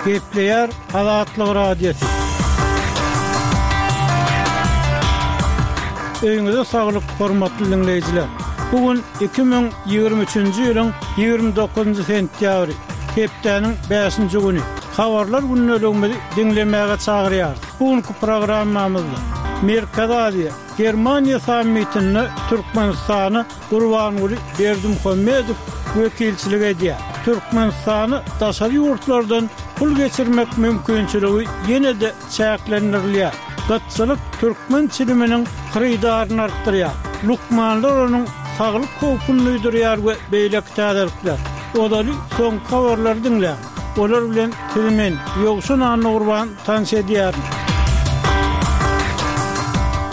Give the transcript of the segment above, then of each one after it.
Gepleýär Azatlyk Radiosy. Öýüňize saglyk, hormatly diňleýjiler! Bu gün 2023-nji ýylyň 29-njy sentýabry, hepdäniň bäşinji güni. Habarlar gündeligimizi diňlemäge çagyrýarys. Bu günki programmamyzda Merkezi Aziýa, Germaniýa sammitinde Türkmenistana Gurbanguly Berdimuhamedow wekilçilik edýär. Türkmenistana daşary ýurtlardan pul geçirmek mümkinçiligi ýene-de çäklendirilýär. Gytçylyk türkmen çiliminiň hyrydaryny artdyrýar. Lukmanlar onuň saglyk howpuny duýdurýar we beýleki täzelikler. Ozaly soňky habarlary diňläň. Olar bilen sizi men, Ýowşan Annagurban tanyş edýärin.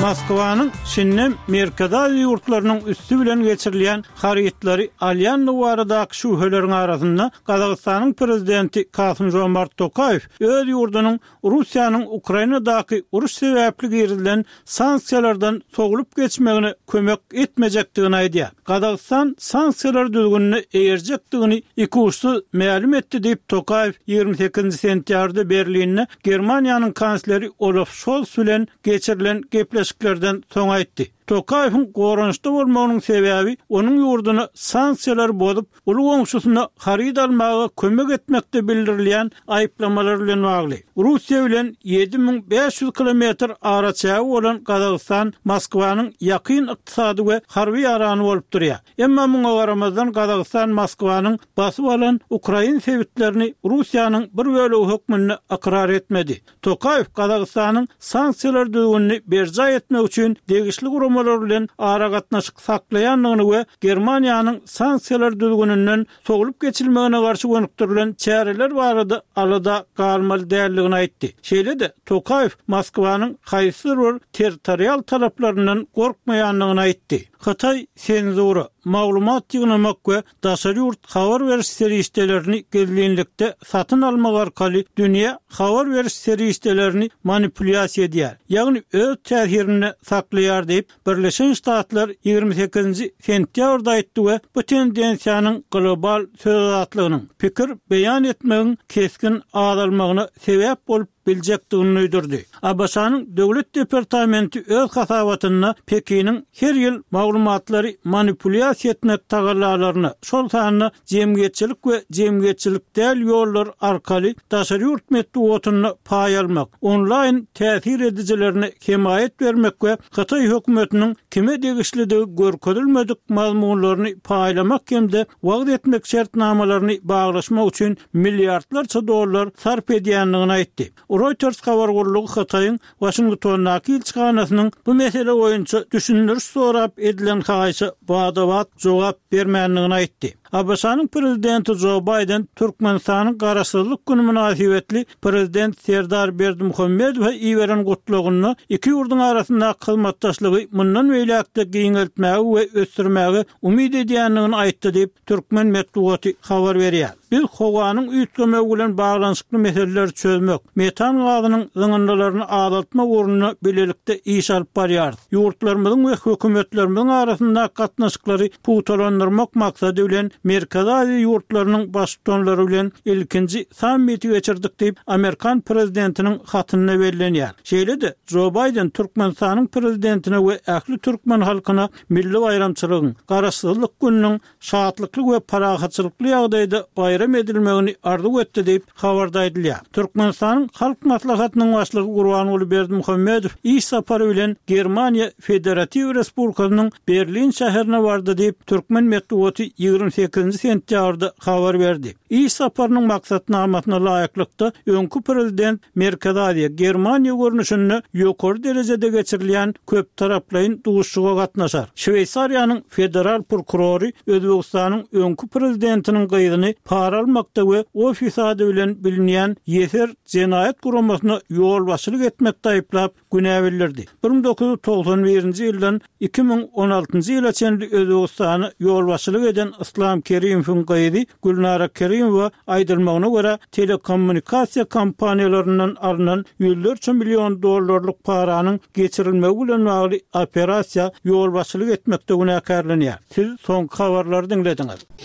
Moskwanyň şindem Merkezi Aziýa ýurtlarynyň üsti bilen geçirilýän harytlary alýandygy baradaky şübheleriň arasynda Gazagystanyň prezidenti Kasym-Žomart Tokaýew öz ýurdunyň Russiýanyň Ukrainadaky uruş sebäpli girizilen sanksiýalardan sowlup geçmegine kömek etmejekdigini aýdýar. Gazagystan sanksiýalar düzgünine eýerjekdigini ikuçsuz mälim etdi diýip, Tokaýew 28 sentýabrda Berlinde Germaniýanyň kansleri Olaf Şols bilen geçirilen gepleşiklerden soň aýtdy. Tokaýewiň goranyşda bolmagynyň sebäbi onuň ýurduna sanksiýalary bozup, uly goňşusyna haryt almaga kömek etmekde bildirilýän aýyplamalar bilen bagly. Russiýa bilen 7500 kilometr araçägi bolan Gazagystan Moskwanyň ýakyn ykdysady we harby ýarany bolup durýar. Emma muňa garamazdan Gazagystan Moskwanyň basyp alan ukrain sebitlerini Russiýanyň bir bölegi hökmünde ykrar etmedi. Tokaýew Gazagystanyň sanksiýalar düzgünini berjaý etmek üçin degişli guramalar bilen aragatnaşyk saklaýandygyny we Germaniýanyň sanksiýalar düzgüninden sowlup geçilmegine garşy gönükdirilen çäreler barada alada galmaly däldigini aýtdy. Şeýle-de, Tokaýew Moskwanyň haýsydyr bir territorial talaplaryndan gorkmaýandygyny aýtdy. Hytaý senzura, maglumat ýygnamak we daşary ýurt habar beriş serişdelerini gizlinlikde satyn almak arkaly dünýä habar beriş serişdelerini manipulýasiýa edýär, ýagny öz täsirinde saklaýar diýip, Birleşen Ştatlar 28-nji sentýabrda aýtdy we bu tendensiýanyň global söz azatlygynyň, pikir beýan etmegiň kesgin azalmagyna sebäp bolup biljekdigini duýdurdy. ABŞ-nyň Döwlet departamenti öz hasabatynda Pekiniň her ýyl maglumatlary manipulýasiýa etmek tagallalaryna, şol sanda jemgyýetçilik we jemgyýetçilik däl ýollar arkaly daşary ýurt metbugatynda paý almak, onlaýn täsir edijilerine hemaýat bermek we hytaý hökümetiniň kime degişlidigi görkezilmedik mazmunlaryny paýlamak hem-de wagyz etmek şertnamalaryny baglaşmak üçin milliardlarça dollar sarp edýändigini aýtdy. Reuters habar gullugy Hytaýyň Waşingtondaky ilçihanasynyň bu mesele boýunça düşündiriş sorap edilen haýyşa bada-bat jogap bermändigini aýtdy. ABŞ-nyň prezidenti Jo Baýden Türkmenistanyň Garaşsyzlyk güni mynasybetli prezident Serdar Berdimuhamedowa iberen gutlagynda iki ýurduň arasyndaky hyzmatdaşlygy mundan beýläk-de giňeltmäge we ösdürmäge umyt edýändigini aýtdy diýip, türkmen metbugaty habar berýär. Biz howanyň üýtgemegi bilen baglanyşykly meseleleri çözmek, metan gazynyň zyňyndylaryny azaltmak ugrunda bilelikde iş alyp barýarys. Ýurtlarymyzyň we hökümetlerimiziň arasyndaky gatnaşyklary pugtalandyrmak maksady bilen Merkezi Aziýa ýurtlarynyň Baştutanlary bilen ilkinji sammiti geçirdik diýip, amerikan prezidentiniň hatynda bellenýär. Şeýle-de, Jo Baýden Türkmenistanyň Prezidentine we ähli türkmen halkyna milli baýramçylygyň, Garaşsyzlyk gününiň şatlykly we parahatçylykly ýagdaýda baýram edilmegini arzuw etdi diýip, habarda aýdylýar. Türkmenistanyň Halk Maslahatynyň Başlygy Gurbanguly Berdimuhamedow iş sapary bilen Germaniýa Federatiw Respublikasynyň Berlin şäherine bardy diýip, türkmen metbugaty 28-nji sentýabrda habar berdi. Iş saparynyň maksatnamasyna laýyklykda, öňki prezident Merkezi Aziýa, Germaniýa görnüşinde ýokary derejede geçirilýän köptaraplaýyn duşuşyga gatnaşar. Şweýsariýanyň federal prokurory Özbegistanyň öňki prezidentiniň gyzyny para almakda we ofis ady bilen bilinýän Ýeser jenaýat guramasyna ýolbaşçylyk etmekde aýyplap, günä bildirdi. 1991-nji ýyldan 2016-njy ýyla çenli Özbegistana ýolbaşçylyk eden Yslam Kerimowyň gyzy Gülnara Kerimowa aýdylmagyna görä, telekommunikasiýa kompaniýalaryndan alnan ýüzlerçe million dollarlyk paranyň geçirilmegi bilen bagly operasiýa ýolbaşçylyk etmekde günäkärlenýär. Siz soňky habarlary diňlediňiz.